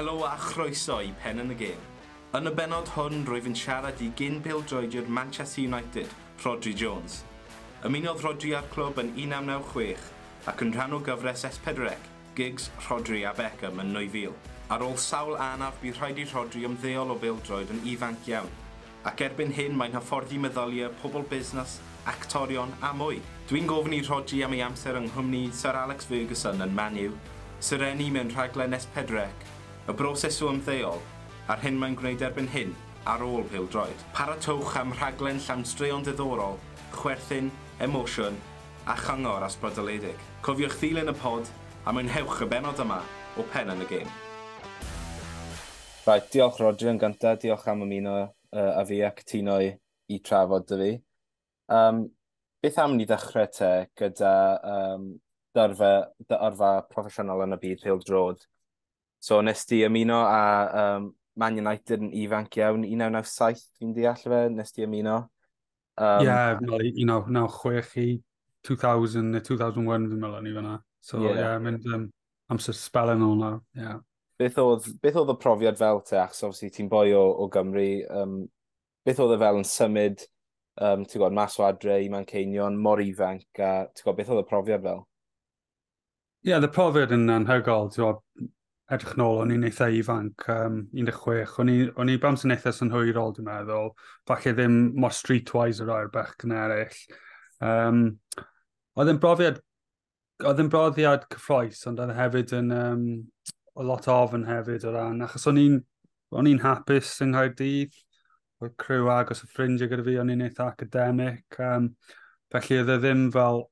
Helo a chroeso i Pen yn y Gêm. Yn y benod hwn, rwyf yn siarad i gyn pêl-droediwr Manchester United, Rhodri Jones. Ymunodd Rhodri â'r clwb yn 1996 ac yn rhan o gyfres S4C, Giggs, Rhodri a Beckham yn 2000. Ar ôl sawl anaf, bu rhaid i Rhodri ymddeol o bêl-droed yn ifanc iawn, ac erbyn hyn mae'n hyfforddi meddyliau pobl busnes, actorion a mwy. Dwi'n gofyn i Rhodri am ei amser yng nghwmni Sir Alex Ferguson yn Man U, serennu mewn rhaglen S4C, y broses o ymddeol, a'r hyn mae'n gwneud erbyn hyn ar ôl pêl-droed. Paratowch am rhaglen llawn straeon diddorol, chwerthin, emosiwn a chyngor ysbrydoledig. Cofiwch ddilyn y pod a mwynhewch y benod yma o Pen yn y Gêm. Right, diolch Rhodri yn gyntaf, diolch am ymuno a fi a cytuno i trafod 'da fi. Beth am ni ddechrau te gyda dy yrfa proffesiynol yn y byd pêl-droed? So nes ti ymuno â Man United yn ifanc iawn, 1997 fi'n deall fe, nes ti ymuno? Ie, yeah, 1996 i 2000 neu 2001 fi'n meddwl ni fyna. So ie, yeah, mynd amser spel yn ôl nawr, ie. Yeah. Beth oedd y profiad fel te, achos obviously ti'n boi o Gymru, beth oedd e fel yn symud, ti'n gwybod, mas o adre i Manceinion, mor ifanc, a ti'n gwybod, beth oedd y profiad fel? Ie, yeah, y profiad yn anhygoel, ti'n gwybod, edrych nôl, o'n i'n eitha ifanc, 16, o'n i bams yn eitha synhwyrol, dwi'n meddwl, falle ddim mor streetwise o rai'r bechgyn eraill. Oedd yn brofiad cyffrous, ond oedd hefyd yn o lot o ofn hefyd o ran, achos o'n i'n hapus yng Nghaerdydd, oedd criw agos o ffrindiau gyda fi, o'n i'n eitha academic, felly oedd e ddim fel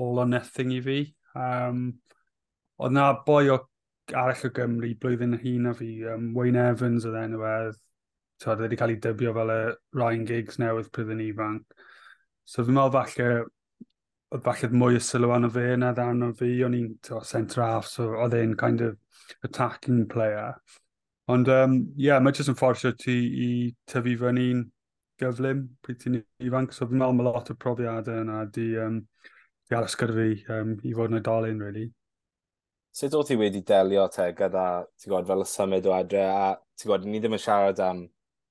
all or nothing i fi. Oedd na boi o arall o Gymru blwyddyn hŷn na fi, Wayne Evans oedd enw e, oedd wedi cael ei dybio fel y Ryan Giggs newydd pryd yn ifanc. So fi'n meddwl falle, oedd falle mwy o sylw arno fe na arno fi, o'n i'n centre half, so oedd e'n kind of attacking player. Ond yeah, mae jyst yn fforsio ti i tyfu fyny'n gyflym pryd ti'n ifanc. So fi'n meddwl mae lot o profiadau yna di aros gyda fi i fod yn oedolyn, really. Sut o ti wedi delio te gyda, ti'n gwybod, fel y symud o adre, a ti'n gwybod, ni ddim yn siarad am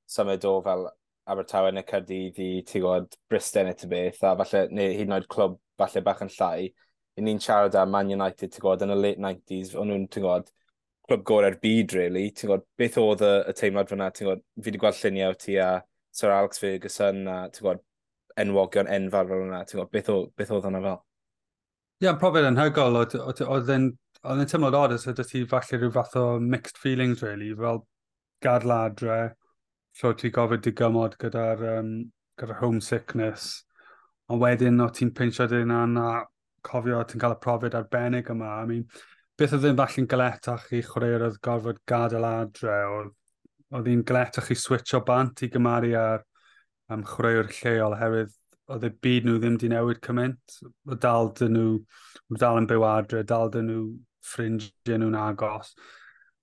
symud o fel Abertawe neu Caerdydd i, ti'n gwybod, Bristol neu ty beth, a falle, neu hyd yn oed clwb falle bach yn llai. I ni'n siarad am Man United, ti'n gwybod, yn y late 90s, o'n nhw'n, ti'n gwybod, clwb gorau'r byd, really. Ti'n gwybod, beth oedd y teimlad fyna, ti'n gwybod, fi wedi gweld lluniau o ti a Sir Alex Ferguson a, ti'n gwybod, enwogion enfawr fel yna, ti'n gwybod, beth oedd hwnna fel? Ie, yeah, profiad anhygoel, oedd e'n teimlad od, so ti falle rhyw fath o mixed feelings, really, fel gadael adre, lle ti gofyd digymod gyda homesickness, ond wedyn o ti'n pinsio dy hunan a cofio ti'n cael y profiad arbennig yma. I mean, beth oedd yn falle'n galetach i chwaraewyr oedd gorfod gadael adre, oedd hi'n galetach i switcho bant i gymaru ar chwaraewyr lleol, oherwydd oedd y byd nhw ddim di newid cymaint. Oedd dal dyn nhw, dal yn byw adre, dal dyn nhw ffrindiau nhw'n agos.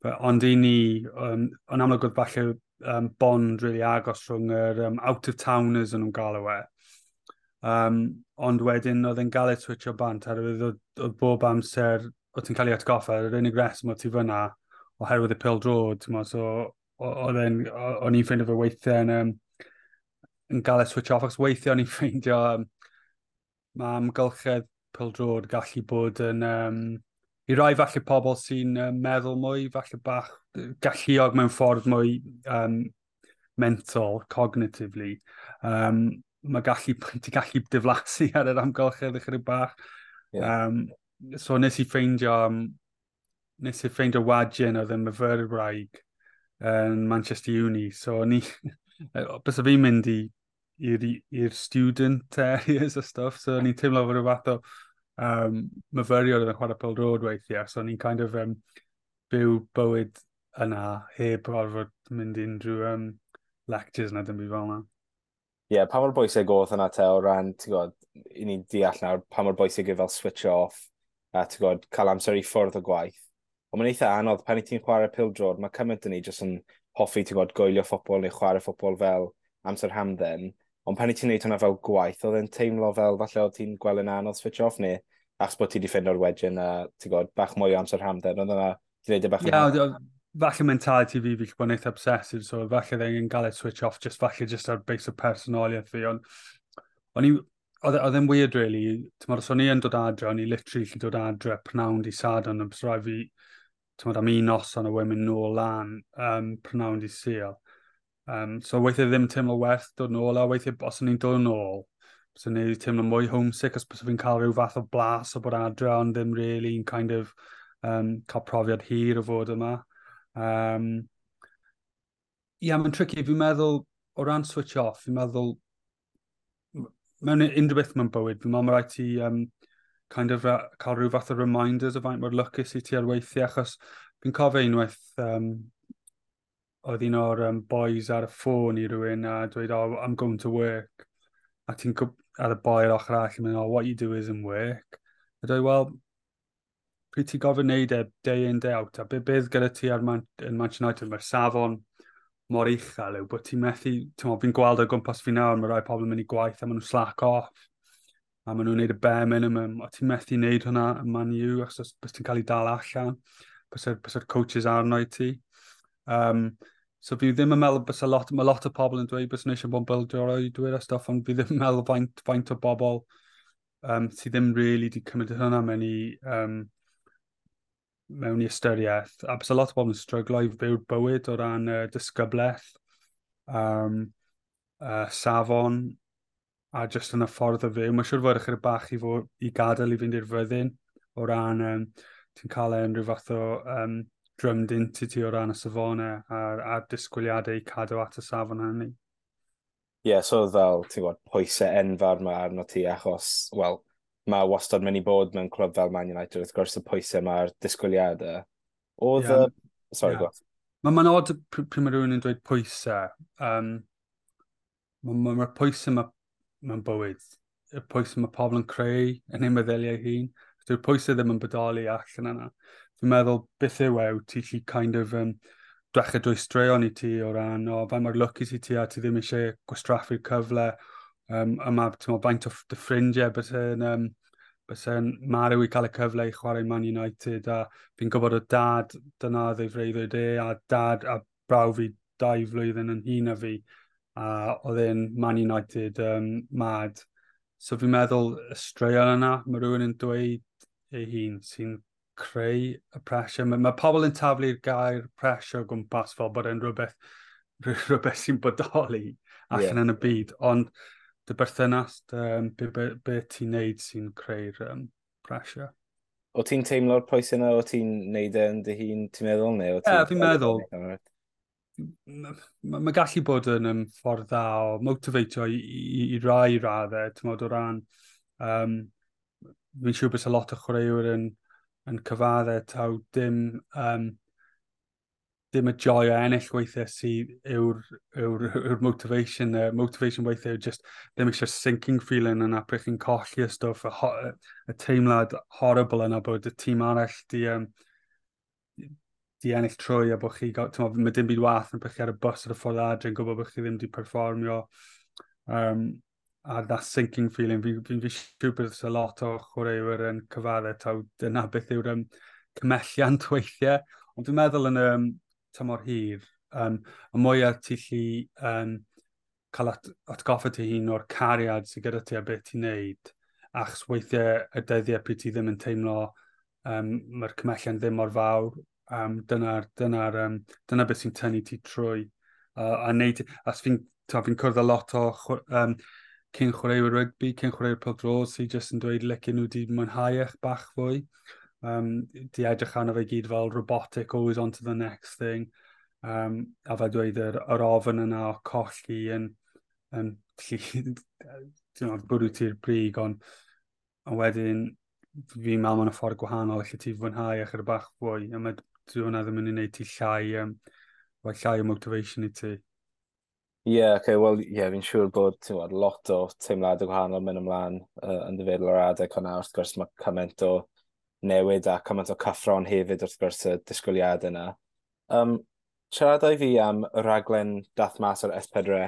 But, ond i ni, yn amlwg oedd falle bond really agos rhwng yr out-of-towners yn nhw'n galw e. Ond wedyn oedd e'n galed switcho bant, oherwydd oedd bob amser, oedd ti'n cael ei atgoffa, yr unig reswm oedd ti fyna oherwydd y pêl-droed, so oedd e'n, o'n i'n ffeindio fe weithiau yn galed switch off, achos weithiau o'n i'n ffeindio mae amgylchedd pêl-droed gallu bod yn, i rai falle pobl sy'n meddwl mwy, falle bach galluog mewn ffordd mwy mental, cognitively, mae gallu, ti gallu diflasu ar yr amgylchedd ychydig bach. Yeah. So nes i ffeindio wedyn oedd yn myfyrwraig yn Manchester Uni. So ni, bys fi'n mynd i'r student areas a stuff, so ni'n teimlo fod rhyw fath o myfyriwr oedd yn chwarae pêl-droed weithiau, so ni'n kind of byw bywyd yna heb orfod mynd i unrhyw lectures na dim byd fel yna. Ie, yeah, pa mor bwysig oedd hwnna te o ran, ti'n gwybod, i ni'n deall nawr, pa mor bwysig yw fel switch off, a ti'n gwybod, cael amser i ffwrdd o gwaith. Ond mae'n eitha anodd, pan i ti'n chwarae pêl-droed, mae cymaint yn ni jyst yn hoffi, ti'n gwybod, gwylio ffwtbol neu chwarae ffwtbol fel amser hamdden. Ond pan i ti'n neud hwnna fel gwaith, oedd e'n teimlo fel falle oedd ti'n gweld yn anodd switch off neu achos bod ti wedi ffeindio'r wedyn a ti'n gwybod, bach mwy o amser hamdden, oedd yna, ti'n neud e bach yn... Ie, Falle mentality fi, fi bod yn eitha obsessive, so falle ddim yn gael ei switch off, just falle just ar base o personoliaeth fi, ond o'n i, oedd e'n weird, really. T'mod, os o'n i yn dod adre, o'n i literally gallu dod adre pnawn di Sadwrn, ond bys rhaid fi, t'mod, am un noson a wedyn mynd nôl lan pnawn di Sul. So weithiau ddim teimlo werth dod nôl, a weithiau os o'n i'n dod nôl, os o'n i'n teimlo mwy homesick, os bys fi'n cael rhyw fath o blas o bod adre, ond ddim really kind of cael profiad hir o fod yma. Yeah, mae'n tricky. Fi'n meddwl, o ran switch off, fi'n meddwl, mewn unrhyw beth mewn bywyd, fi'n meddwl mae rhaid ti kind of cael rhyw fath o reminders o faint mor lwcus i ti ar weithiau, achos fi'n cofio unwaith oedd un o'r boys ar y ffôn i rywun a dweud, "Oh, I'm going to work." A ti'n ar y boi ar ochr arall yn mynd, "Oh, what you do isn't work." A dweud, "Well, pryd ti'n gofyn wneud e day in, day out, a beth gyda ti ar yn Manchester United, mae'r safon mor uchel yw bod ti'n methu, ti'n fi'n gweld o gwmpas fi nawr, mae rai pobl yn mynd i gwaith a maen nhw'n slack off, a maen nhw'n neud y bare minimum, a ti'n methu wneud hwnna yn Man U, achos bys ti'n cael ei dal allan, bys coaches arno i ti. So fi ddim yn meddwl bys a lot, mae lot o pobl yn dweud bys nhw eisiau bod yn bêl-droedwyr a stuff, ond fi ddim yn meddwl faint o bobl sydd ddim really di cymryd hwnna mewn i ystyriaeth. A bys a lot o bobl yn stryglo i fyw'r bywyd o ran disgyblaeth, safon, a jyst yn y ffordd o fyw. Mae'n siŵr fod ychydig bach i, fod, i gadael i fynd i'r fyddin o ran ti'n cael e'n rhyw fath o drummed into ti o ran y safonau a'r disgwyliadau i cadw at y safon hynny. Ie, yeah, so fel, ti'n gwybod, pwysau enfawr mae arno ti achos, wel, mae wastad mynd i bod mewn clwb fel Man United, wrth gwrs y pwysau mae'r disgwyliadau. Oedd yeah. y... Sorry, yeah. Go. Mae'n ma odd pryd mae rhywun yn dweud pwysau. Mae'r ma pwysau ma, mewn bywyd, y pwysau mae pobl yn creu yn eu meddyliau hun. Dyw'r pwysau ddim yn bodoli allan yna. Fi'n meddwl beth yw e, ti lli kind of dechrau dwy straeon i ti o ran, o, faint mor lwcus i ti a ti ddim eisiau gwastraffu'r cyfle. Yma, ti'n meddwl, faint o dy ffrindiau bys yn marw i cael y cyfle i chwarae Man United, a fi'n gwybod o dad, dyna oedd ei freuddwyd e, a dad a braw fi 2 flwyddyn yn hŷn na fi, a oedd e'n Man United mad. So fi'n meddwl y straeon yna, mae rhywun yn dweud ei hun sy'n creu y pressure. Mae pobl yn taflu'r gair pressure o gwmpas fel bod e'n rhywbeth sy'n bodoli allan yn y byd, ond dy berthynas, be ti'n neud sy'n creu'r pressure. O ti'n teimlo'r pwysau yna, o ti'n neud e yn dy hun, ti'n meddwl? Neu o Ie, yeah, fi'n meddwl. Mae ma gallu bod yn ffordd dda o motivatio i rai raddau, ti'n modd o ran, fi'n siŵr bod lot o chwaraewyr yn cyfaddau taw dim y joy o ennill weithiau sydd yw'r motivation. Motivation weithiau yw just ddim eisiau sinking feeling yna pryd chi'n colli y stwff, y teimlad horrible yna bod y tîm arall di ennill trwy a bod chi, t'mo, mae dim byd wath yn pryd chi ar y bus ar y ffordd adre yn gwybod bod chi ddim di perfformio. A that sinking feeling, fi siŵr bod a lot o chwaraewyr yn cyfaddau taw dyna beth yw'r cymhelliant weithiau. Ond dwi'n meddwl yn y tymor hir, y mwyaf ti lli cael atgoffa ti hun o'r cariad sydd gyda ti a beth ti'n neud, achos weithiau y dyddiau pryd ti ddim yn teimlo mae'r cymhelliant ddim mor fawr, dyna beth sy'n tynnu ti trwy. A neud, as fi cwrdd â lot o cyn chwaraewyr rygbi, cyn chwaraewyr pêl-droed sy'n jyst yn dweud licen nhw di mwynhau eich bach fwy. Di edrych arno fe gyd fel robotic, always on to the next thing. A fe dweud yr ofn yna o colli yn bwrw ti'r brig, ond wedyn fi'n meddwl mewn y ffordd gwahanol, lle ti fwynhau ychydig bach fwy, a mae hwnna ddim yn ei wneud ti llai, llai o motivation i ti. Ie, yeah, okay, wel, ie, yeah, fi'n siŵr bod ti'n gwybod, lot o teimladau gwahanol mynd ymlaen yn dy feddwl o'r adeg hwnna. Wrth gwrs, mae cymaint o newid a cymaint o cyffro'n hefyd wrth gwrs y disgwyliadau yna. Siaradau fi am y rhaglen dath mas o'r S4C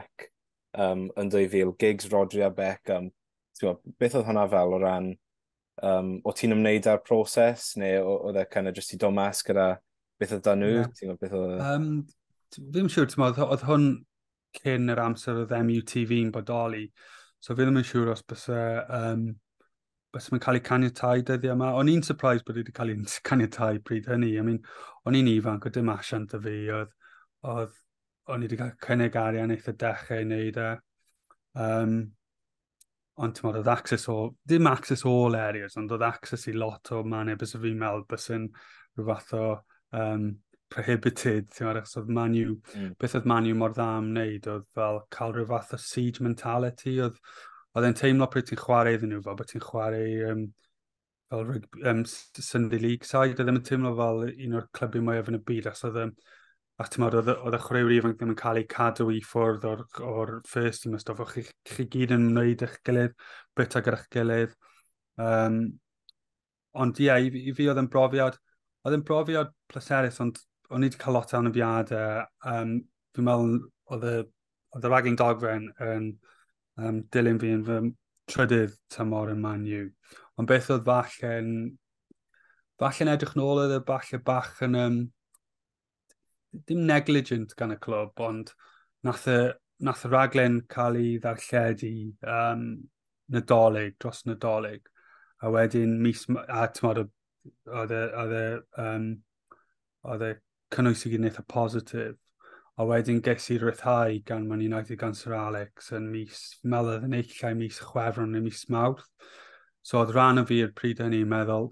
yn 2000, Giggs, Rodri a Beckham. Ti'n gwybod, beth oedd hwnna fel o ran, o ti'n ymwneud â'r proses, neu oedd e kind of just i dod mas gyda Beth oedd dan nhw? Yeah. Ti'n gwybod beth oedd? Fi'n siŵr, ti'n meddwl, oedd hwn cyn yr amser oedd MUTV'n bodoli, so fi ddim yn siŵr os byse byse cael ei caniatau dyddiau yma. O'n i'n surprised bod wedi cael ei caniatau pryd hynny. I mean, o'n i'n ifanc, oedd dim asiant y fi, oedd o'n i wedi cael cynnig arian eitha dechrau i wneud e. Ond ti'n meddwl, oedd access o, dim access all areas, ond oedd access i lot o mannau bys fi'n meddwl bys yn rhyw fath o prohibited, ti'n meddwl, achos oedd Man U, beth oedd Man U mor dda am wneud, oedd fel cael rhyw fath o siege mentality, oedd e'n teimlo pryd ti'n chwarae iddyn nhw, fel bod ti'n chwarae fel rugby, Sunday League side, oedd ddim yn teimlo fel un o'r clybiau mwyaf yn y byd, achos oedd a ti'n meddwl, oedd y chwaraewyr ifanc ddim yn cael eu cadw i ffwrdd o'r first team a stwff, o'ch chi gyd yn wneud eich gilydd, bita gyda'ch gilydd. Ond ie, yeah, i fi oedd yn brofiad pleserus, ond o'n i wedi cael lot o anafiadau. Fi'n meddwl oedd y raglen dogfen yn dilyn fi yn fy trydydd tymor yn Man U. Ond beth oedd falle'n edrych nôl oedd e falle bach yn dim negligent gan y clwb, ond nath y raglen cael ei ddarlledu Nadolig, dros Nadolig. A wedyn mis, a ti'n oedd e cynnwys i gyd yn eitha positif. A wedyn ges i ryddhau gan Man United gan Sir Alex yn mis, meddwl oedd yn eich mis Chwefror neu mis Mawrth. So oedd rhan o fi i'r pryd hynny meddwl,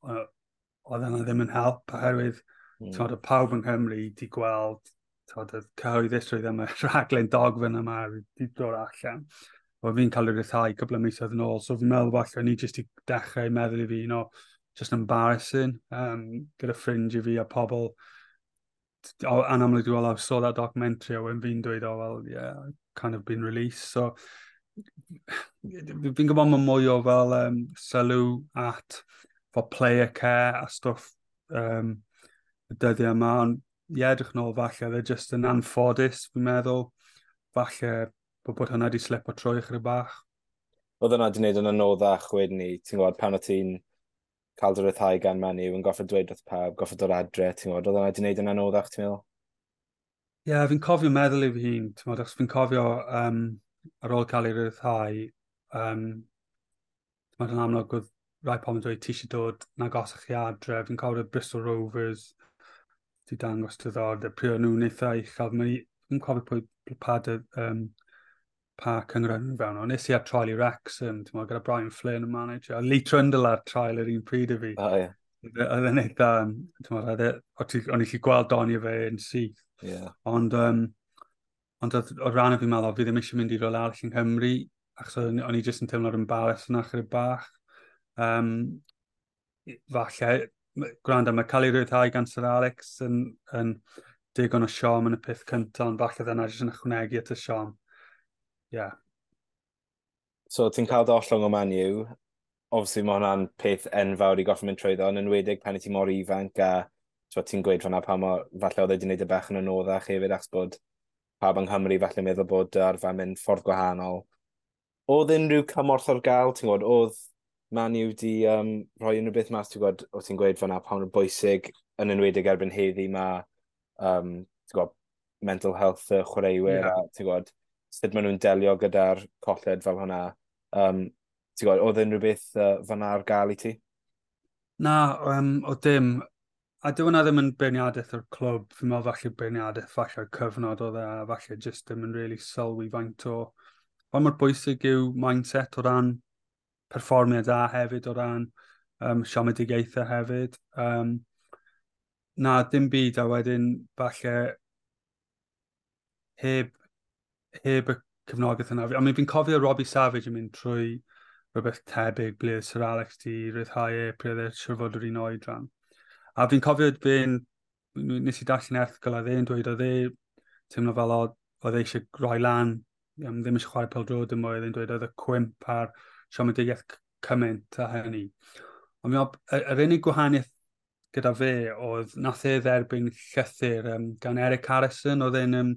oedd yna ddim yn help, oherwydd twod, oedd pawb yng Nghymru di gweld, twod, y cyhoeddusrwydd am y rhaglen dogfen yma wedi dod allan. Oedd fi'n cael ei ryddhau cwpl o misoedd yn ôl, so fi'n meddwl falle ni jyst i dechrau meddwl i fi, just embarrassing gyda ffrindiau fi a pobl anamlwg well, I saw that documentary a when fi'n dweud, "Oh, well, yeah, kind of been released." So, fi'n gwybod mae mwy o fel sylw at for player care a stwff y dyddiau yma, ond ie, edrych nôl falle, they're just yn anffodus, fi'n meddwl. Falle bod hwnna wedi slipo trwy chydig bach. Oedd hwnna wedi gwneud yn anoddach wedyn ni, ti'n gwybod, pan o ti'n cael dy ryddhau gan Man U, yn goffod dweud wrth pawb, goffod dod adre, ti'n gwybod, oedd hwnna wedi gwneud yn anoddach, ti'n meddwl? Ie, yeah, fi'n cofio meddwl i fi hun, ti'n gwybod, achos fi'n cofio ar ôl cael ei ryddhau, ti'n gwybod, yn amlwg oedd rai pobl yn dweud ti eisiau dod yn agosach chi adre. Fi'n cofio Bristol Rovers di dangos diddordeb, pryd o'n nhw'n eitha uchel. Fi'n cofio pwy pa cynghrair nhw fewn. Ond nes i ar trial i Wrexham, ti'n meddwl, gyda Brian Flynn yn manager. A Lee Trundle ar trial yr un pryd i fi. Oh, yeah. Oedd e'n eitha, ti'n meddwl, o'n i gallu gweld doniau fe yn syth. Ond oedd o ran o fi'n meddwl, fi ddim eisiau mynd i rywle arall yng Nghymru, achos o'n i jyst yn teimlo'r embarrass yna chydig bach. Falle, gwrando, mae cael ei ryddhau gan Sir Alex yn digon o siom yn y peth cyntaf, ond falle dyna jyst yn ychwanegu at y siom. Yeah. So ti'n cael dy ollwng o Man U, obviously mae hwnna'n peth enfawr i goffo mynd trwyddo, yn enwedig pan i ti mor ifanc a ti'n gweud fan'na pa mor, falle oedd e wedi gwneud y bach yn anoddach hefyd achos bod pawb yng Nghymru falle meddwl bod arfer mynd ffordd gwahanol. Oedd unrhyw cymorth ar gael, ti'n gwybod, oedd Man U di rhoi unrhyw beth mas, ti'n gwybod, o ti'n gweud fan'na pa mor bwysig yn enwedig erbyn heddi mae ti'n gwybod, mental health y chwaraewyr a ti'n gwybod, sut maen nhw'n delio gyda'r colled fel hwnna. Ti'n gwybod, oedd unrhyw beth fan'na ar gael i ti? Na, o dim. A dyw hwnna ddim yn beirniadaeth o'r clwb. Fi'n meddwl falle beirniadaeth falle'r cyfnod oedd e, a falle just ddim yn really sylwi faint o pa mor bwysig yw mindset o ran perfformiad a hefyd o ran siomedigaethau hefyd. Na, dim byd, a wedyn falle heb y cefnogaeth yna. I mean, fi'n cofio Robbie Savage yn mynd trwy rhywbeth tebyg ble oedd Sir Alex di ryddhau e pryd oedd e siŵr fod yr un oedran. A fi'n cofio fe'n, nes i darllen erthygl a dde'n dweud oedd e teimlo fel oedd e eisiau rhoi lan, ddim eisiau chwarae pêl-droed dim mwy, oedd e'n dweud oedd y cwymp a'r siomedigaeth cymaint a hynny. Ond fi'n meddwl, yr unig gwahaniaeth gyda fe oedd nath e dderbyn llythyr gan Eric Harrison, oedd e'n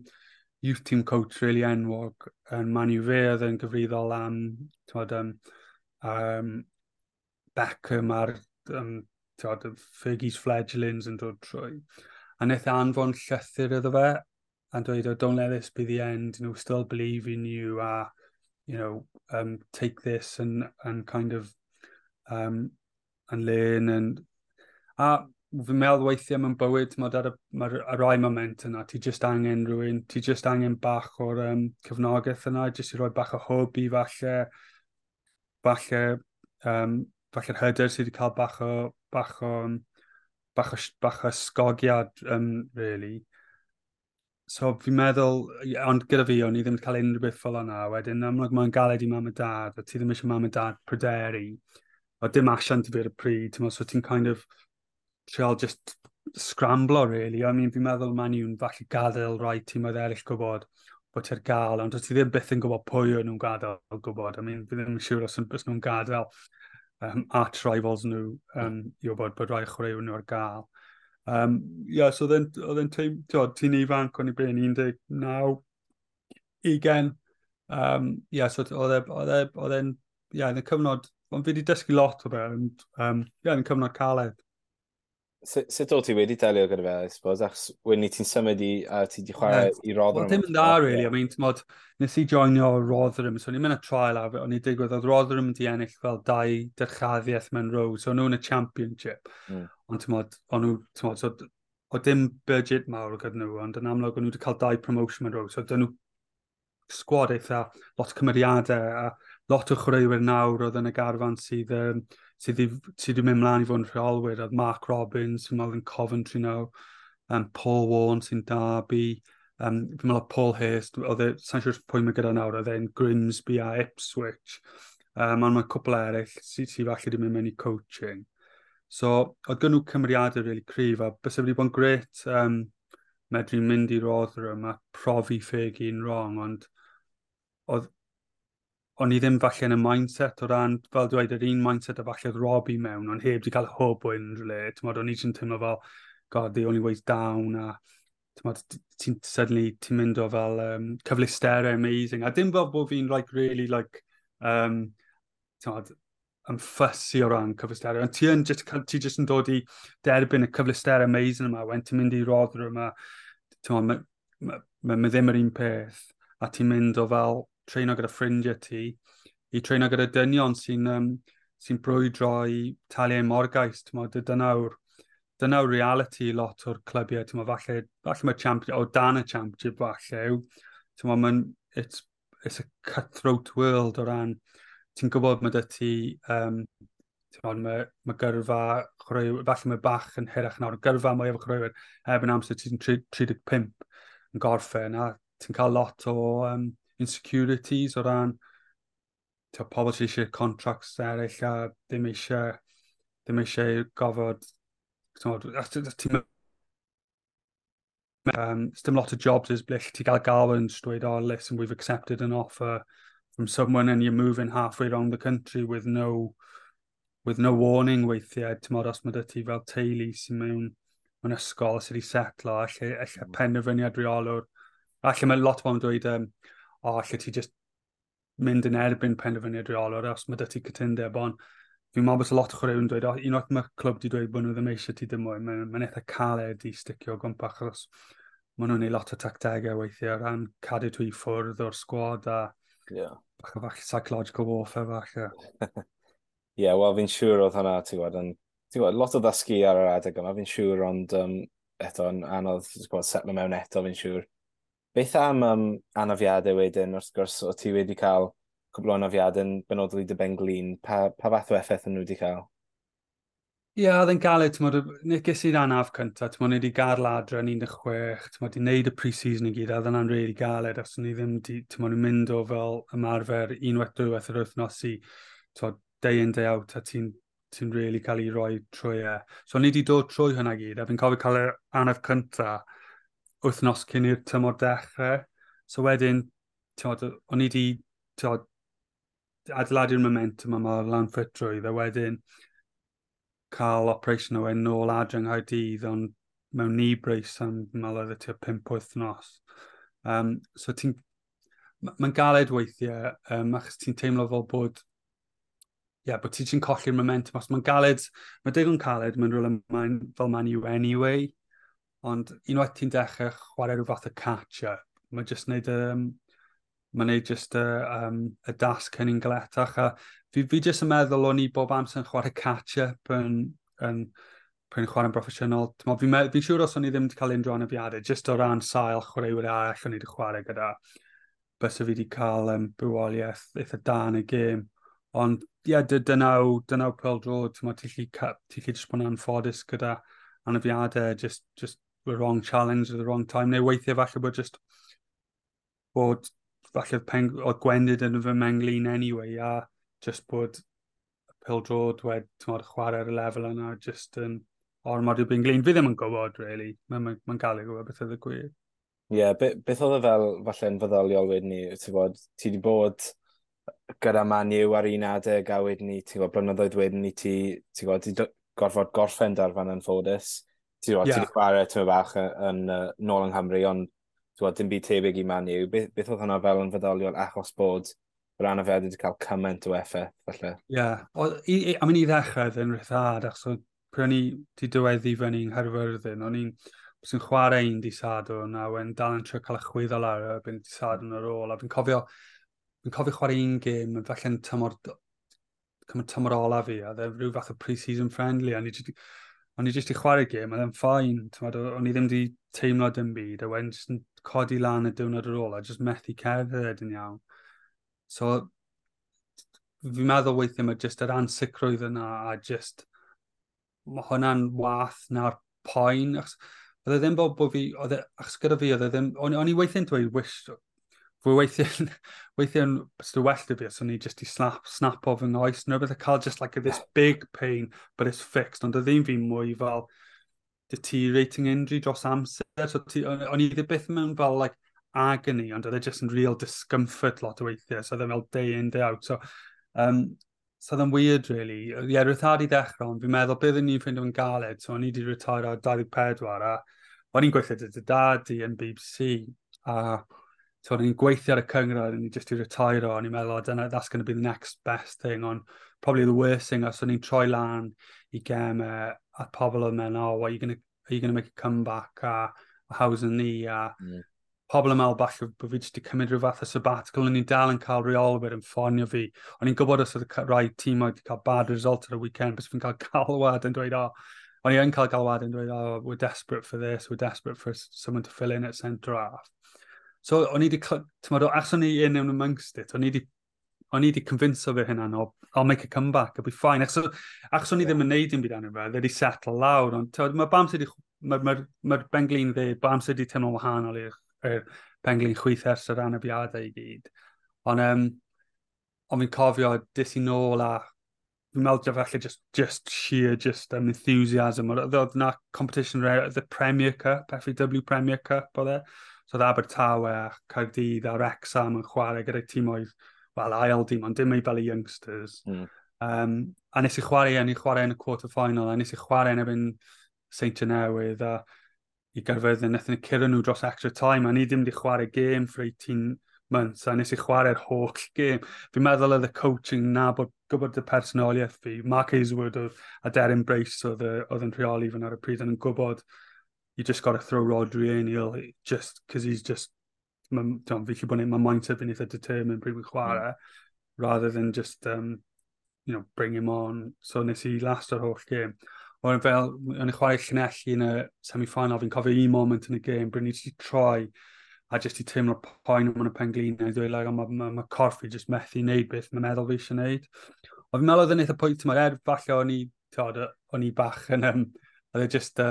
youth team coach really enwog yn Man U. Fe oedd yn gyfrifol am, t'mod, Beckham a'r Tod, Fergie's fledglings yn dod trwy. A wnaeth e anfon llythyr iddo fe, a dweud, "Oh, don't let this be the end, still believe in you, a, take this and kind of, and learn." And, a fi'n meddwl weithiau mewn bywyd, mae ar y, ma y rai moment yna, ti just angen rhywun, ti just angen bach o'r cefnogaeth yna, just i roi bach o hwb i falle'r hyder sydd wedi cael bach o ysgogiad, really. So fi'n meddwl, ond gyda fi, o'n i ddim wedi cael unrhyw beth fel yna. Wedyn, amlwg mae'n galed i mam a dad, a ti ddim eisiau mam a dad pryderu. O dim asiant i fi ar y pryd, ti'n, so ti'n kind of trial just scramblo, really. I mean, fi'n meddwl Man U'n falle gadael rai tîmoedd eraill gwybod bod ti'r gael, ond ti ddim byth yn gwybod pwy o'n nhw'n gadael gwybod. I mean, fi ddim yn siŵr os nhw'n gadael arch rivals nhw i wybod bod rai chwaraewyr nhw ar gael. Yeah, so oedd e'n ti'n ifanc, o'n i ben 19, 20. Yeah, so oedd e'n, yeah, yn y cyfnod, ond fi wedi dysgu lot o fe, ond, yeah, yn y cyfnod caled. Sut o ti wedi delio gyda fe, I suppose, achos wedyn ni ti'n symud i, a ti wedi chwarae i Rotherham? Well, dim yn dda, really. I mean, tmod, nes i joinio Rotherham, so ni'n mynd y trial a o'n i digwydd, oedd Rotherham wedi ennill fel dau dyrchaddiaeth mewn row, so nhw'n y Championship. Ond tmod, o'n nhw, tmod, so, o dim budget mawr gyda nhw, ond yn amlwg o'n nhw wedi cael dau promotion mewn row, so dyn nhw sgwad eitha lot o cymeriadau a lot o chwaraewyr nawr oedd yn y garfan sydd wedi mynd mlaen i fod yn rheolwyr. Oedd Mark Robins, fi'n meddwl yn Coventry nawr, Paul Warne sy'n Derby, fi'n meddwl Paul Hurst, oedd e, sa'n siŵr pwy mae gyda nawr, oedd e'n Grimsby a Ipswich. Ond mae cwpl eraill sydd falle wedi mynd mewn i coaching. So, oedd gyn nhw cymeriadau really cryf, a byse wedi bod yn gret medru mynd i Rotherham a profi Fergie'n wrong, ond oedd o'n i ddim falle yn y mindset o ran, fel dweud, yr un mindset a falle oedd Robbie mewn, ond heb di cael hwb o unrhyw le. T'mod, o'n i jyst yn teimlo fel, "God, the only way's down," a t'mod, ti'n suddenly, ti'n mynd o fel cyfleusterau amazing. A dim fel bod fi'n like, really, like, t'mod, yn fussy o ran cyfleusterau. Ond ti just yn dod i derbyn y cyfleusterau amazing yma, when ti'n mynd i Rotherham yma, t'mod, ma ddim yr un peth. A ti'n mynd o fel treino gyda ffrindiau ti, i treino gyda dynion sy brwydro i talu eu morgais. Dyna yw'r reality lot o'r clybiau. T'mod, falle mae champion, o dan y Championship falle, t'mod, it's a cutthroat world o ran, ti'n gwybod mae dy ti, t'mod, mae gyrfa chwaraewyr, falle mae bach yn hirach nawr, gyrfa mwy efo chwaraewyr erbyn amser ti'n 35 yn gorffen, a ti'n cael lot o insecurities o ran t'o, pobl sydd eisiau contracts eraill a ddim eisiau gofod t'mod, ti'n dim lot o jobs is ble ti gael galw yn just dweud, "Oh, listen, we've accepted an offer from someone," and you're moving halfway around the country with no warning weithiau, ti'n, os mae dy ti fel teulu sy'n mewn ysgol sydd wedi setlo, alle penderfyniad reolwr. Alle mae lot o bobl yn dweud, "O, alle ti just mynd yn erbyn penderfyniad reolwr os mae dy ti cytundeb," ond fi'n meddwl bod lot o chwaraewyr yn dweud, "O, unwaith mae clwb wedi dweud bod nhw ddim eisiau ti dim mwy, mae eitha caled i sticio o gwmpas," achos maen nhw'n neud lot o tactegau weithiau o ran cadw ti i ffwrdd o'r sgwad a bach o falle psychological warfare falle. Ie, yeah, wel fi'n siŵr oedd hwnna, ti'n gwybod, yn, ti'n gwybod, lot o ddysgu ar yr adeg yma, fi'n siŵr, ond eto yn anodd, ti'n gwybod, setlo mewn eto, fi'n siŵr. Beth am anafiadau wedyn, wrth gwrs, o ti wedi cael cwbl o anafiadau yn benodol i dy ben-glin, pa fath o effaith yn nhw wedi cael? Ie, yeah, oedd e'n galed, ti'n modd, ges i'r anaf cyntaf, ti'n modd, ni wedi gadael adre yn 16, ti'n modd, di wneud y pre-season i gyd, a oedd yna'n really galed, os o'n i ddim, di, ti'n modd, mynd o fel ymarfer unwaith, dwywaith yr wythnos i, ti'n modd, day in, day out, a ti'n really cael ei roi trwy e. So ni wedi dod trwy hwnna gyd, a fi'n cofio cael yr anaf cyntaf wythnos cyn i'r tymor dechrau. So wedyn, ti'n modd, o'n i wedi, ti'n modd, adeiladu'r momentum yma lan ffitrwydd, a wedyn cael operation o yn nôl adre yng Nghaerdydd, ond mewn knee brace am, fi'n meddwl oedd e tua 5 wythnos. So ti'n... Mae'n galed weithiau, achos ti'n teimlo fel bod Yeah, bod ti'n colli'r momentum, os mae'n galed, mae'n digon caled, mae'n rhywle mae'n fel Man U anyway, ond unwaith ti'n dechrau chwarae rhyw fath o catch-up, mae'n just neud, mae'n neud just y dasg hynny'n galetach. A fi just yn meddwl o'n i bob amser yn chwarae catch-up yn pryn chwarae'n broffesiynol. Fi'n siŵr os o'n i ddim wedi cael unrhyw anafiadau, just o ran sail chwaraewyr arall o'n i wedi chwarae gyda, bysa fi wedi cael bywoliaeth eitha da yn y gêm. Ond ie, yeah, dyna pêl-droed, ti'n gallu just bod yn anffodus gyda anafiadau, just the wrong challenge at the wrong time, neu weithiau falle bod just bod falle oedd gwendid yn fy mhenglin anyway, a just bod pêl-droed wedi chwarae ar y lefel yna, just yn ormod i'w benglin. Fi ddim yn gwybod, really. Mae'n ma gael ei gwybod beth oedd y gwir. Ie, yeah, beth oedd e fel, falle'n feddyliol wedyn ni, ti'n bod, ti wedi bod gyda Man U ar un adeg a wedyn ni, ti'n gwybod, blynyddoedd wedyn ni, ti'n gwybod, ti gorfod gorffen darfan yn ffodus. Ti'n gwybod, ti wedi chwarae ti'n bach yn nôl yng Nghymru, ond ti'n gwybod, dim byd tebyg i Man U. Beth oedd hwnna fel yn feddyliol achos bod yr anafiad wedi cael cymaint o effaith, falle? Ie, yeah. I mean, i ddechrau oedd yn rhyddhad, achos pryd o'n i wedi diweddu fyny yng Nghaerfyrddin, o'n i'n sy'n chwarae un dydd Sadwrn a wedyn dal yn trio cael y chwyddo lawr erbyn dydd Sadwrn ar ôl. A fi'n cofio chwarae un gêm, falle'n tymor ola fi, a oedd rhyw fath o pre-season friendly, a o'n i jyst i chwarae gêm, a oedd e'n fine, o'n i ddim wedi teimlo dim byd, a wedyn jyst yn codi lan y diwrnod ar ôl, a jyst methu cerdded yn iawn. So, fi'n meddwl weithiau mae jyst yr ansicrwydd yna, a jyst, mae hwnna'n wath na'r poen, achos oedd e ddim bod fi, oedd e, achos gyda fi, oedd e ddim, o'n i weithiau'n dweud, wish, fwy weithiau'n, bys well da fi, os o'n i just i snap o fy nghoes, neu rhywbeth, cael just like this big pain, but it's fixed, ond oedd ddim fi mwy fel deteriorating injury dros amser, so o'n i ddim byth mewn fel like agony, ond oedd e just yn real discomfort lot o weithiau, so oedd e fel day in, day out, so oedd e'n weird, really. Ie, yeah, rhyddhad i ddechrau, ond fi'n meddwl byddwn ni'n ffeindio yn galed, so o'n i wedi retire ar 24, a o'n i'n gweithio gyda dad i yn BBC, a so o'n i'n gweithio ar y cynghrair, o'n i just i retire, o'n i'n meddwl, oh, dyna, that's going to be the next best thing, ond probably the worst thing, os o'n i'n troi lan i gemau, a pobl yn meddwl, "Oh, what, are you gonna make a comeback?" a "How's the knee?" a pobl yn meddwl falle bod fi jyst wedi cymryd rhyw fath o sabbatical, o'n i'n dal yn cael reolwyr yn ffonio fi. O'n i'n gwybod os oedd y rai tîm wedi cael bad result ar y weekend, bys fi'n cael galwad yn dweud, oh, o'n i yn cael galwad yn dweud, "Oh, we're desperate for this, we're desperate for someone to fill in at centre half." So o'n i wedi, ti'n achos o'n i in and amongst it, o'n i wedi convince fi hynna, "No, I'll make a comeback, I'll be fine." Achos o'n i ddim yn neud dim byd arno fe, wedi settle lawr, ond mae bam sydd wedi, mae'r ma benglin dde, bam sydd wedi teimlo'n wahanol i'r penglin chwith ers yr anafiadau i gyd. Ond fi'n cofio, des i nôl a fi'n meddwl falle just sheer just enthusiasm. Oedd na competition, the Premier Cup, FAW Premier Cup oedd e. So oedd Abertawe a Caerdydd a Wrexham yn chwarae gyda'r tîmoedd, wel, ail dîm, ond dim ei fel y youngsters. A nes i chwarae, yn i chwarae yn y quarter final, a nes i chwarae yn erbyn Seintiau Newydd, a i Gaerfyrddin, wnaethon ni curo nhw dros extra time, a ni ddim wedi chwarae gêm for 18 months, a nes i chwarae'r holl gêm. Fi'n meddwl oedd y coaching na bod gwybod y personoliaeth fi. Mark Hazelwood oedd, a Darren Brace oedd yn rheoli fan ar y pryd, yn gwybod you just got to throw Rodri in, he'll just, because he's just, fi gallu bod yn, mae mindset fi'n eitha determined pryd fi'n chwarae, rather than just, bring him on. So nes i last o'r holl gêm. O'n fel, o'n i chwarae Llanelli yn y semi-final, fi'n cofio un moment yn y gêm, bryd ni wedi troi a jyst i teimlo'r poen yn y penglin, a dweud, like, ma corff fi just methu wneud beth mae meddwl fi eisiau wneud. Ond fi'n meddwl oedd yn eitha pwynt yma, er falle o'n i, tod, o'n i bach yn, oedd e just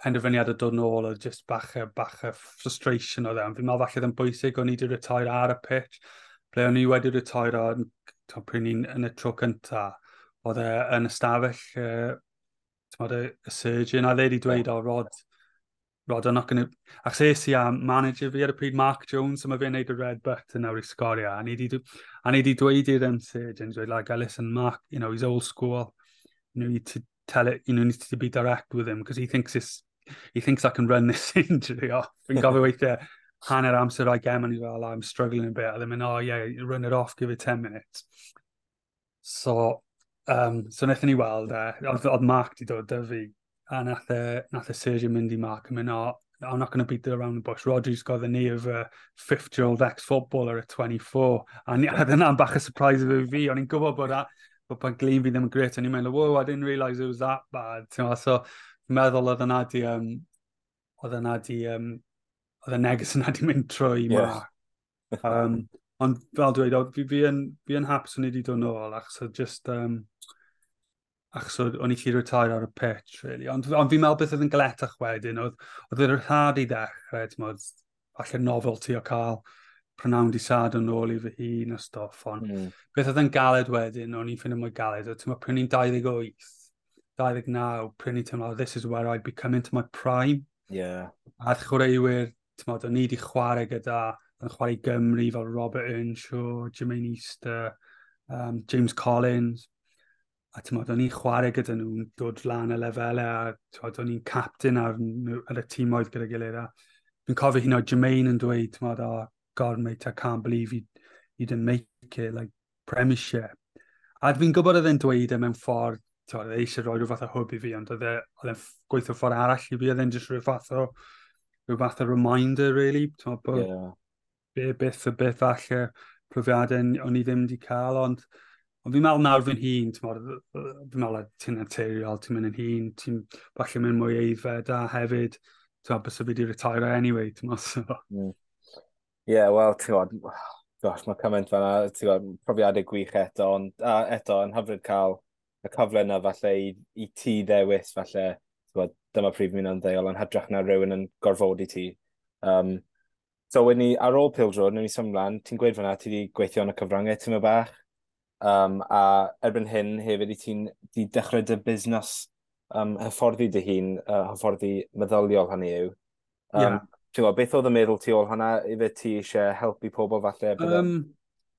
penderfyniad o dod nôl, oedd just bach o frustration oedd e. Ond fi'n meddwl falle oedd yn bwysig, o'n i wedi retire ar y pitch, ble o'n i wedi retire pryd ni'n yn y tro cyntaf, oedd e yn ystafell y surgeon, a dde wedi dweud, "Oh, Rod, I'm not gonna." Achos es i a manager fi ar y pryd, Mark Jones, so mae fe'n neud y red button nawr i sgorio, a ni di dweud i'r surgeon, dweud, like, "Listen, Mark, he's old school, you need to tell it, need to be direct with him, because he thinks I can run this injury off." Fi'n gofio weithiau, hanner amser o'i gem, and he's fel, "I'm struggling a bit." A they're mynd, "Oh yeah, run it off, give it 10 minutes." So wnaethon ni weld e, oedd Mark di dod 'da fi, a nath e surgeon mynd i Mark yn mynd, "Oh, I'm not going to beat around the bush. Rodri's got the knee of a 50-year-old ex-footballer at 24." A oedd yna'n bach o surprise i fi. O'n i'n gwybod bod pan glin fi ddim yn gret. O'n i'n meddwl, "Whoa, I didn't realise it was that bad." So, fi'n meddwl oedd y neges yna di mynd trwy Mark. Ond fel dweud, fi yn hapus o'n i wedi dod nôl, achos oedd just, achos o'n i gallu retire ar y pitch, really. Ond fi'n meddwl beth oedd yn galetach wedyn, oedd yr rhyddhad i ddechrau, ti'n falle novelty o cael prynawn di Sadwrn nôl i fy hun a stwff, ond beth oedd yn galed wedyn, o'n i'n ffeindio mwy galed, oedd, ti'n pryd ni'n 28, 29, pryd ni'n teimlo, "This is where I become into my prime." A chwaraewyr, ti'n o'n i wedi chwarae gyda, yn chwarae Gymru fel Robert Earnshaw, Jermaine Easter, James Collins, a ti'n o'n i'n chwarae gyda nhw'n dod lan y lefelau, a ti'n o'n i'n captain ar y tîmoedd gyda gilydd. A fi'n cofio hyn o Jermaine yn dweud, ti'n "Oh, God, mate, I can't believe you didn't make it, like, Premiership." A fi'n gwybod oedd e'n dweud e mewn ffordd, ti'n oedd e eisiau rhoi rhyw fath o hwb i fi, ond oedd e'n gweithio ffordd arall i fi, oedd e'n just rhyw fath o reminder, really, ti'n bod be, byth y beth falle profiadau o'n i ddim wedi cael, ond fi'n meddwl nawr fi'n hun, ti'n fi'n meddwl ti'n naturiol, ti'n mynd yn hun, ti'n falle mynd mwy aeddfed a hefyd, ti'n meddwl, bysa fi wedi retire anyway, ti'n meddwl, so. Yeah, wel, ti'n gwybod, gosh, mae cymaint fan'na, ti'n gwybod, profiadau gwych eto, ond a, eto, yn hyfryd cael y cyfle yna falle i ti ddewis, falle, ti'n gwybod, dyma pryd fi'n ymddeol, yn hytrach na rhywun yn gorfodi ti. So, wedyn ni, ar ôl pêl-droed, newn ni symud mlaen, ti'n gweud fan'na, ti wedi gweithio yn y cyfryngau ti'n bach, a erbyn hyn hefyd i ti'n di dechrau dy busnes hyfforddi dy hun, hyfforddi meddyliol hynny yw. Ti'n gwybod, beth oedd y meddwl tu ôl hwnna? Ife ti eisiau helpu pobl falle?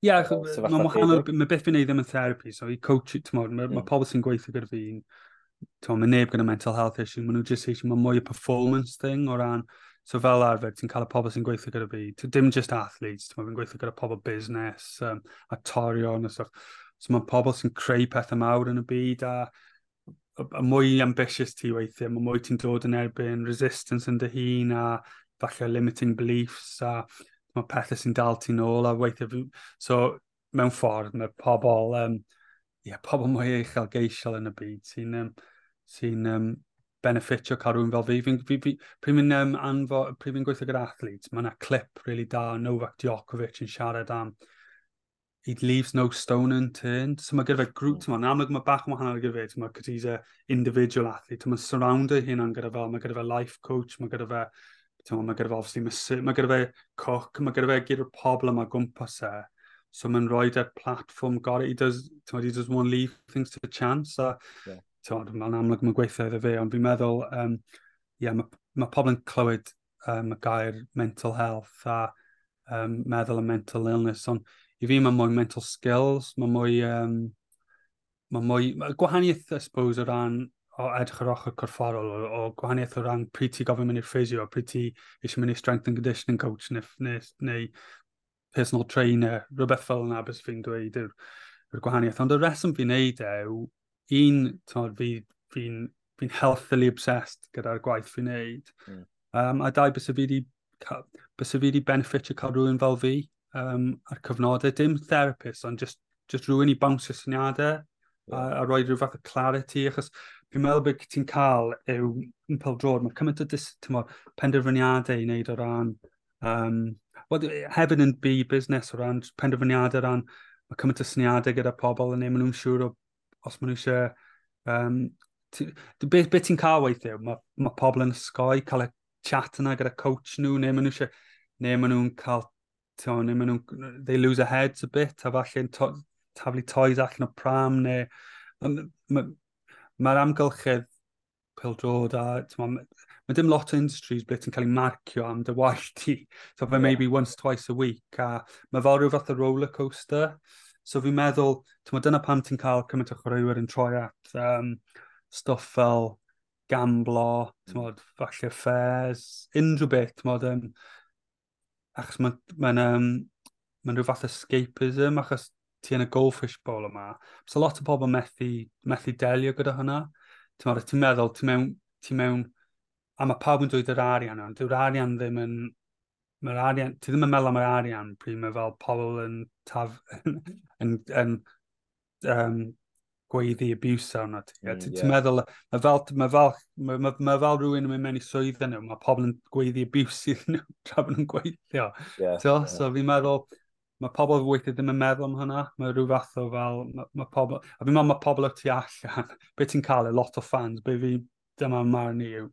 Yeah, mae'n wahanol, mae beth fi'n neud ddim yn therapy, so i coach, ti'n mae ma pobl sy'n gweithio gyda fi, ti'n mae neb gyda mental health issue, maen nhw just eisiau, mae mwy o performance thing o ran, so fel arfer, ti'n cael y pobl sy'n gweithio gyda fi, dim just athletes, ti'n fi'n gweithio gyda pobl business, actorion a stuff, so mae pobl sy'n creu pethau mawr yn y byd a y mwy ambitious ti weithiau, mae mwy ti'n dod yn erbyn resistance yn dy hun a falle limiting beliefs a mae pethau sy'n dal ti'n ôl a weithiau. So, mewn ffordd, mae pobl, yeah, pobl mwy uchelgeisiol yn y byd sy'n benefitio cael rhywun fel fi. Pryd fi'n pryd fi'n gweithio gyda athletes, mae yna clip really da Novak Djokovic yn siarad am he leaves no stone unturned. So mae gyda fe grŵp, mm. Ti'n amlwg mae bach yn wahanol gyda fe, ti'n cos he's a individual athlete. Mae'n surroundo hynna'n gyda fel, mae gyda fe life coach, mae gyda fe, ti'n mae gyda fe obviously, mae gyda fe cook, mae gyda fe gyda'r pobl yma gwmpas e. So mae'n rhoi e'r platform gorau. He does, ti'n he doesn't want to leave things to chance. A, ti'n mae'n amlwg mae'n gweithio iddo fe, ond fi'n meddwl, yeah, mae pobl yn clywed y gair mental health a meddwl am mental illness, ond i fi mae mwy mental skills, mae mwy gwahaniaeth, I suppose, o ran o edrych ar ochr corfforol, o gwahaniaeth o ran pryd ti gofyn mynd i'r physio, pryd ti eisiau mynd i strength and conditioning coach neu personal trainer, rhywbeth fel yna beth fi'n dweud yw'r gwahaniaeth. Ond y reswm fi'n neud e yw, un, t'mod, fi healthily obsessed gyda'r gwaith fi'n neud. A dau, bys fi wedi benefitio cael rhywun fel fi ar cyfnodau, dim therapist, ond just rhywun i bounsio syniadau a rhoi rhyw fath o clarity, achos fi'n meddwl beth ti'n cael yw yn pêl-droed, mae cymaint o t'mod, penderfyniadau i wneud o ran, well, hefyd yn byd busnes o ran penderfyniadau o ran, mae cymaint o syniadau gyda pobl yn neu maen nhw'n siŵr o os maen nhw eisiau, beth ti'n cael weithiau, mae pobl yn osgoi cael y chat yna gyda coach nhw, neu maen nhw eisiau, neu maen nhw'n cael, t'mo, neu maen nhw'n, they lose their heads a bit, a falle'n taflu toys allan o pram, neu mae'r amgylchedd pêl-droed a t'mo, mae dim lot o industries ble ti'n cael ei marcio am dy waith ti. So fe maybe once, twice a week, a mae fel rhyw fath o roller coaster. So fi'n meddwl, t'mo, dyna pam ti'n cael cymaint o chwaraewyr yn troi at stwff fel gamblo, t'mod, falle affairs, unrhyw beth, t'mod, achos mae'n ma rhyw fath o escapism, achos ti yn y goldfish bowl yma. So lot o bobl methu delio gyda hwnna. Ti'n meddwl, ti mewn, a mae pawb yn dweud yr arian, ond dyw'r arian ddim yn, mae'r arian, ti ddim yn meddwl am yr arian pryd mae fel pobl yn, taf, yn gweiddi abuse arno ti. Ti'n meddwl, mae fel rhywun yn mynd mewn i swydd nhw, mae pobl yn gweiddi abuse iddyn nhw tra bod nhw'n gweithio. So, yeah. So fi'n meddwl, mae pobl weithiau ddim yn meddwl am hynna. Mae rhyw fath o fel, mae pobl, a fi'n meddwl mae pobl o tu allan, beth ti'n cael, a lot o fans, be fi, dyma marn i yw,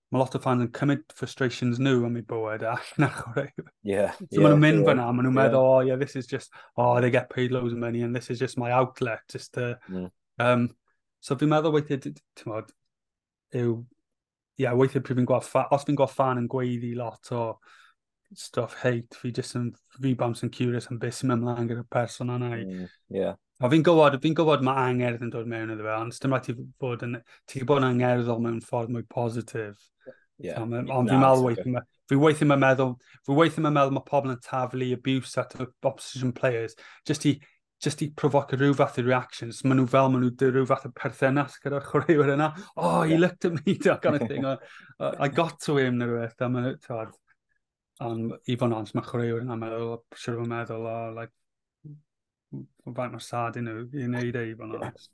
mae lot o fans yn cymryd frustrations nhw am eu bywyd allan ar chwarae. So maen nhw'n mynd fyna, maen nhw'n meddwl, "Oh yeah, this is just, oh, they get paid loads of money and this is just my outlet, just to." So fi'n meddwl weithiau, ti'n modd, yw, yeah, weithiau pryd fi'n gweld, os fi'n gweld fan yn gweiddi lot o stuff hate, fi just yn, fi bams yn curious am beth sy'n mynd mlaen gyda'r person yna. A fi'n gwybod mae angerdd yn dod mewn iddo fe, ond dim rhaid ti fod yn, ti'n bod yn angerddol mewn ffordd mwy positif. Ond fi'n meddwl weithio, fi weithio mae'n meddwl mae pobl yn taflu abuse at opposition players, just i provoke rhyw fath o reactions. Maen nhw fel, maen nhw rhyw fath o perthynas gyda'r chwaraewyr yna. "Oh, he looked at me," that kind of thing. I got to him," neu rhywbeth. A maen nhw, ond i fod yn onest, mae chwaraewyr yna'n meddwl, siwr o'n meddwl, oh, like, faint mor sad i nhw i wneud e, i fod yn onest.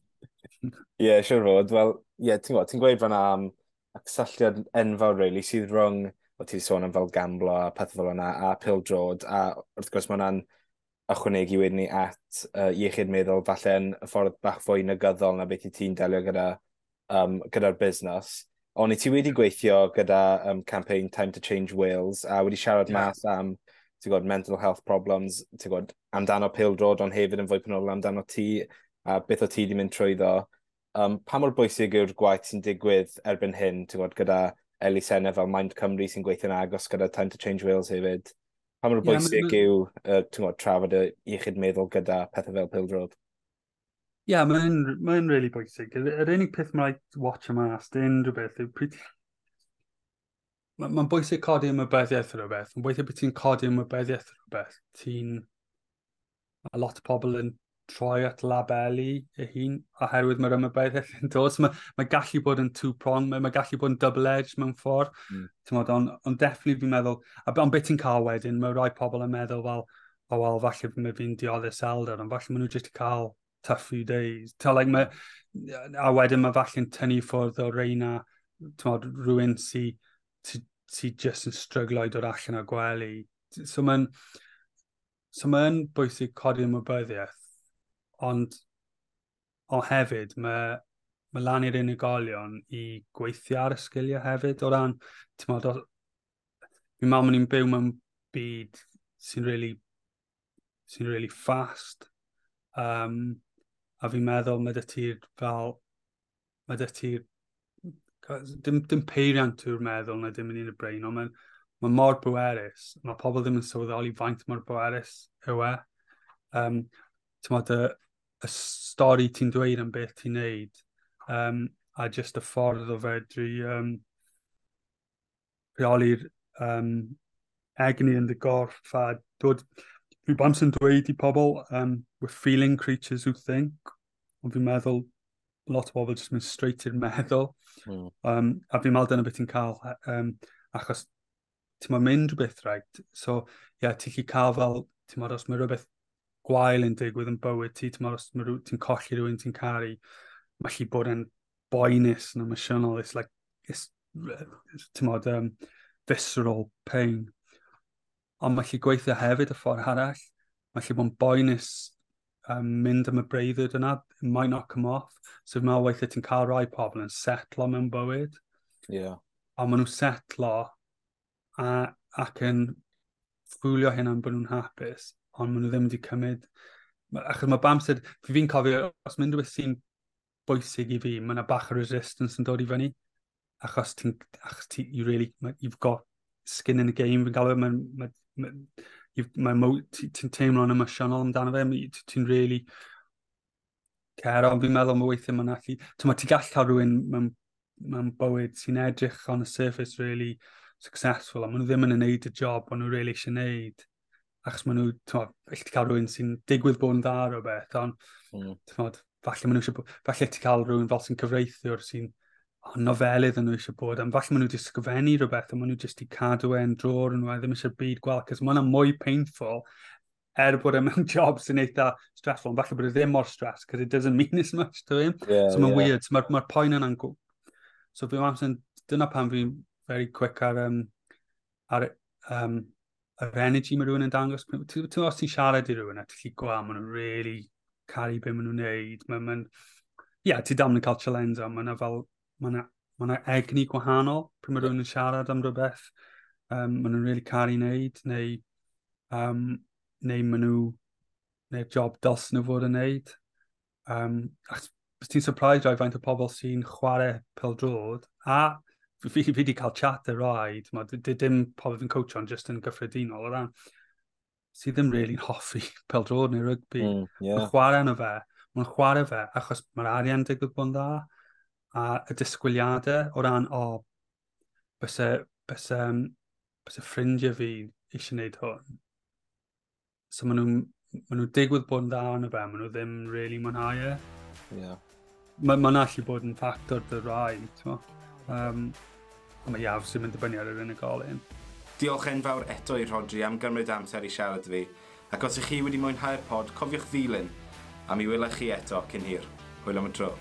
Ie, yeah, siwr fod. Wel, ie, yeah, ti'n gwybod, ti'n gweud fan'na am y cysylltiad enfawr, really, sydd rhwng, o ti sôn am fel gamblo a pethau fel yna, a pêl-droed, a wrth gwrs mae hwnna'n ychwanegu wedyn ni at iechyd meddwl, falle yn y ffordd bach fwy negyddol na beth i ti'n delio gyda'r busnes. Ond i ti wedi gweithio gyda campaign Time to Change Wales a wedi siarad mas am, ti'n gwybod, mental health problems, ti'n gwybod, amdano pêl-droed, ond hefyd yn fwy penodol amdano ti, a beth o ti wedi mynd trwyddo. Pa mor bwysig yw'r gwaith sy'n digwydd erbyn hyn, ti'n gwybod, gyda elusennau fel Mind Cymru sy'n gweithio'n agos gyda Time to Change Wales hefyd? Pa mor bwysig yw, ti'n gwybod, trafod y iechyd meddwl gyda pethau fel pêl-droed? Ie, yeah, mae'n really bwysig. Yr unig peth mae'n rhaid watch mas, unrhyw beth, yw pryd. Mae'n bwysig codi ymwybyddiaeth o rhywbeth. Mae'n bwysig bod ti'n codi ymwybyddiaeth o rhywbeth. Ti'n... Mae lot o pobl yn troi at labelu ei hun oherwydd mae'r ymwybyddiaeth yn dod. So mae gallu bod yn two-prong, mae gallu bod yn double-edged mewn ffordd. On definitely fi'n meddwl, ond beth ti'n cael wedyn, mae rai pobl yn meddwl fel, "Oh well, falle mae fi'n dioddef iselder," ond falle maen nhw jyst cael tough few days. Ta, like, mae, a wedyn mae falle'n tynnu ffwrdd o reina, mod, rhywun sy just yn stryglo i dod allan o gwely. So mae'n bwysig codi ymwybyddiaeth, ond o hefyd mae lan i'r unigolion i gweithio ar y sgiliau hefyd o ran, ti'n modd, fi'n meddwl ni'n byw mewn byd sy'n really fast. A fi'n meddwl mae dy ti'r fel, mae dy ti'r, dim peiriant yw'r meddwl na dim yn un y brain, ond mae mor bwerus. Mae pobl ddim yn sylweddoli faint mor bwerus yw e. Ti'n y stori ti'n dweud am beth ti'n neud, a just y ffordd o fedru rheoli'r egni yn dy gorff a dod. Fi bams yn dweud i pobl, "We're feeling creatures who think," ond fi'n meddwl lot o bobl jyst mynd straight i'r meddwl. A fi'n meddwl dyna beth ti'n cael, achos ti'n mynd rhywbeth, right? So, ie, yeah, ti'n gallu cael fel, ti'n meddwl, os mae rhywbeth gwael yn digwydd yn bywyd ti, ti'n meddwl, os ti'n colli rhywun ti'n caru, mae gallu bod yn boenus yn emosiynol. It's like, it's, ti'n meddwl, visceral pain. Ond mae gallu gweithio hefyd y ffordd arall. Mae gallu bod yn boenus mynd am y breuddwyd yna, it might not come off. So fi'n meddwl weithiau ti'n cael rai pobl yn setlo mewn bywyd. A maen nhw'n setlo ac yn ffwlio hynna'n bod nhw'n hapus, ond maen nhw ddim wedi cymryd. Achos mae bamsed, fi'n cofio, os mynd rhywbeth sy'n bwysig i fi, mae yna bach o resistance yn dod i fyny. Achos ti, you really, you've got skin in the game, fi'n galw, mae ti'n teimlo'n emosiynol amdano fe, ti'n really care, ond fi'n meddwl mae weithiau mae'n allu. Ti'n gallu cael rhywun mewn bywyd sy'n edrych on the surface really successful, a maen nhw ddim yn gwneud y job maen nhw really eisiau gwneud. Achos maen nhw, ti'n ti cael rhywun sy'n digwydd bod yn dda o beth, ond ti'n falle maen nhw eisiau, falle ti cael rhywun fel sy'n cyfreithiwr sy'n nofelydd yn nhw eisiau bod, ond falle maen nhw wedi sgrifennu rhywbeth, a maen nhw jyst i cadw e'n drôr nhw, a ddim eisiau'r byd gweld, cos mae hwnna mwy painful, er bod e mewn job sy'n eitha stressful, ond falle bod e ddim mor stress, because it doesn't mean as much to him. So mae'n weird, so mae'r ma poen yna'n. So fi amser, dyna pam fi'n very quick ar yr energy mae rhywun yn dangos. Ti'n os ti'n siarad i rhywun a ti'n gallu gweld, maen nhw'n really caru be maen nhw'n neud. Mae'n, ma yeah, ti dal yn cael challenge, ond mae'n fel, mae'n ma egni gwahanol pryd mae rhywun yn siarad am rhywbeth. Maen nhw'n really caru wneud, neu maen nhw, neu'r job dylsyn nhw fod yn neud. Achos ti'n surprised rai faint o pobl sy'n chwarae pêl-droed, a fi wedi cael chat ar rai, dim pobl fi'n coach ond just yn gyffredinol, o ran, sydd ddim really'n hoffi pêl-droed neu rygbi. Mae'n chwarae yno fe, mae'n chwarae fe achos mae'r arian digwydd bod yn dda, a y disgwyliadau o ran, o, oh, byse ffrindiau fi eisiau gwneud hwn. So maen nhw digwydd bod yn dda yno fe, maen nhw ddim really mwynhau e. Mae'n ma allu bod yn ffactor dy rai, ti'n ond mae iaf sy'n mynd dibynnu ar yr unigolyn. Diolch enfawr eto i Rhodri am gymryd amser i siarad fi. Ac os ych chi wedi mwynhau'r pod, cofiwch ddilyn, a mi welai chi eto cyn hir. Hwyl am y tro.